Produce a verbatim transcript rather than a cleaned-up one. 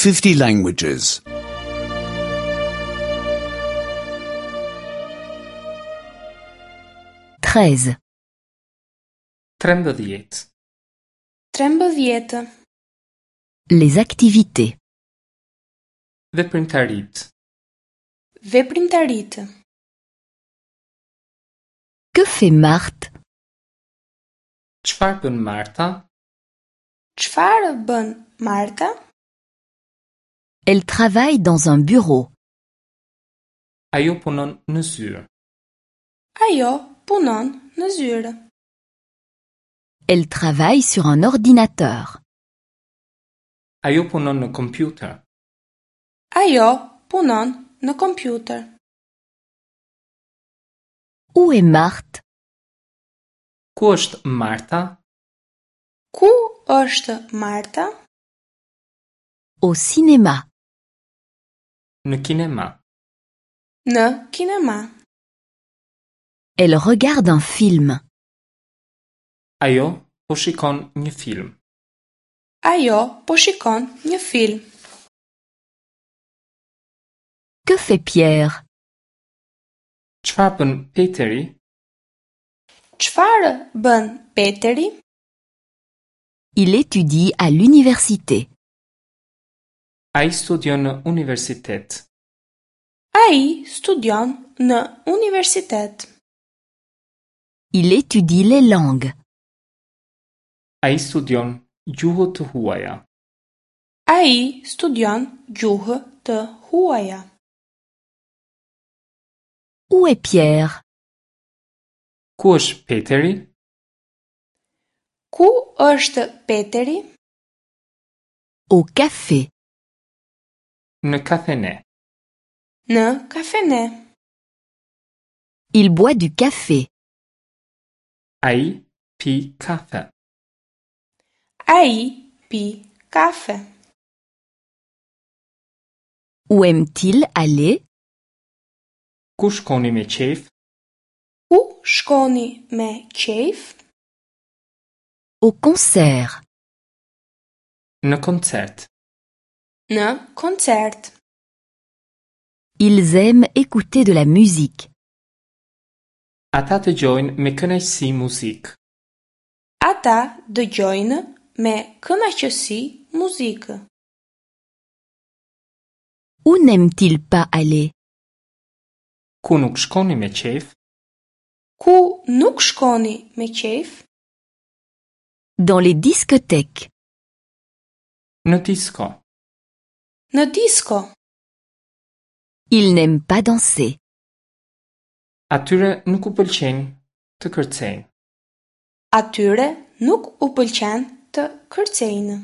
fifty languages. treize. Trembëdhjetë. Trembëdhjetë. Les activités. Veprimtaritë. Veprimtaritë. Que fait Marthe? Çfarë bën Marta? Çfarë bën Marta? Elle travaille dans un bureau. Ajo punon në zyrë. Ajo punon në zyrë. Elle travaille sur un ordinateur. Ajo punon në kompjuter. Ajo punon në kompjuter. Où est Marthe? Ku është Marta? Ku është Marta? Au cinéma. Në kinema. Në kinema. Elle regarde un film. Ajo po shikon një film. Ajo po shikon një film. Que fait Pierre? Çfarë bën Peteri? Çfarë bën Peteri? Il étudie à l'université. Ai studion në universitet. Ai studion në universitet. Il étudie les langues. Ai studion gjuhë të huaja. Ai studion gjuhë të huaja. Où est Pierre? Ku është Peteri? Ku është Peteri? Au café. Në kafene. Në kafene. Il boit du café. Ai pi kafe. Ai pi kafe. Où aime-t-il aller? Ku shkoni me qejf? Ku shkoni me qejf? Au concert. Në koncert. Në koncert. Ils aiment écouter de la musique. Ata dëgjojnë me kënaqësi muzikë. Ata dëgjojnë me kënaqësi muzikë. Où n'aiment-ils pas aller? Ku nuk shkoni me qejf? Ku nuk shkoni me qejf? Dans les discothèques. Në disko. Në disko. Ils n'aiment pas danser. Atyre nuk u pëlqen të kërcejnë. Atyre nuk u pëlqen të kërcejnë.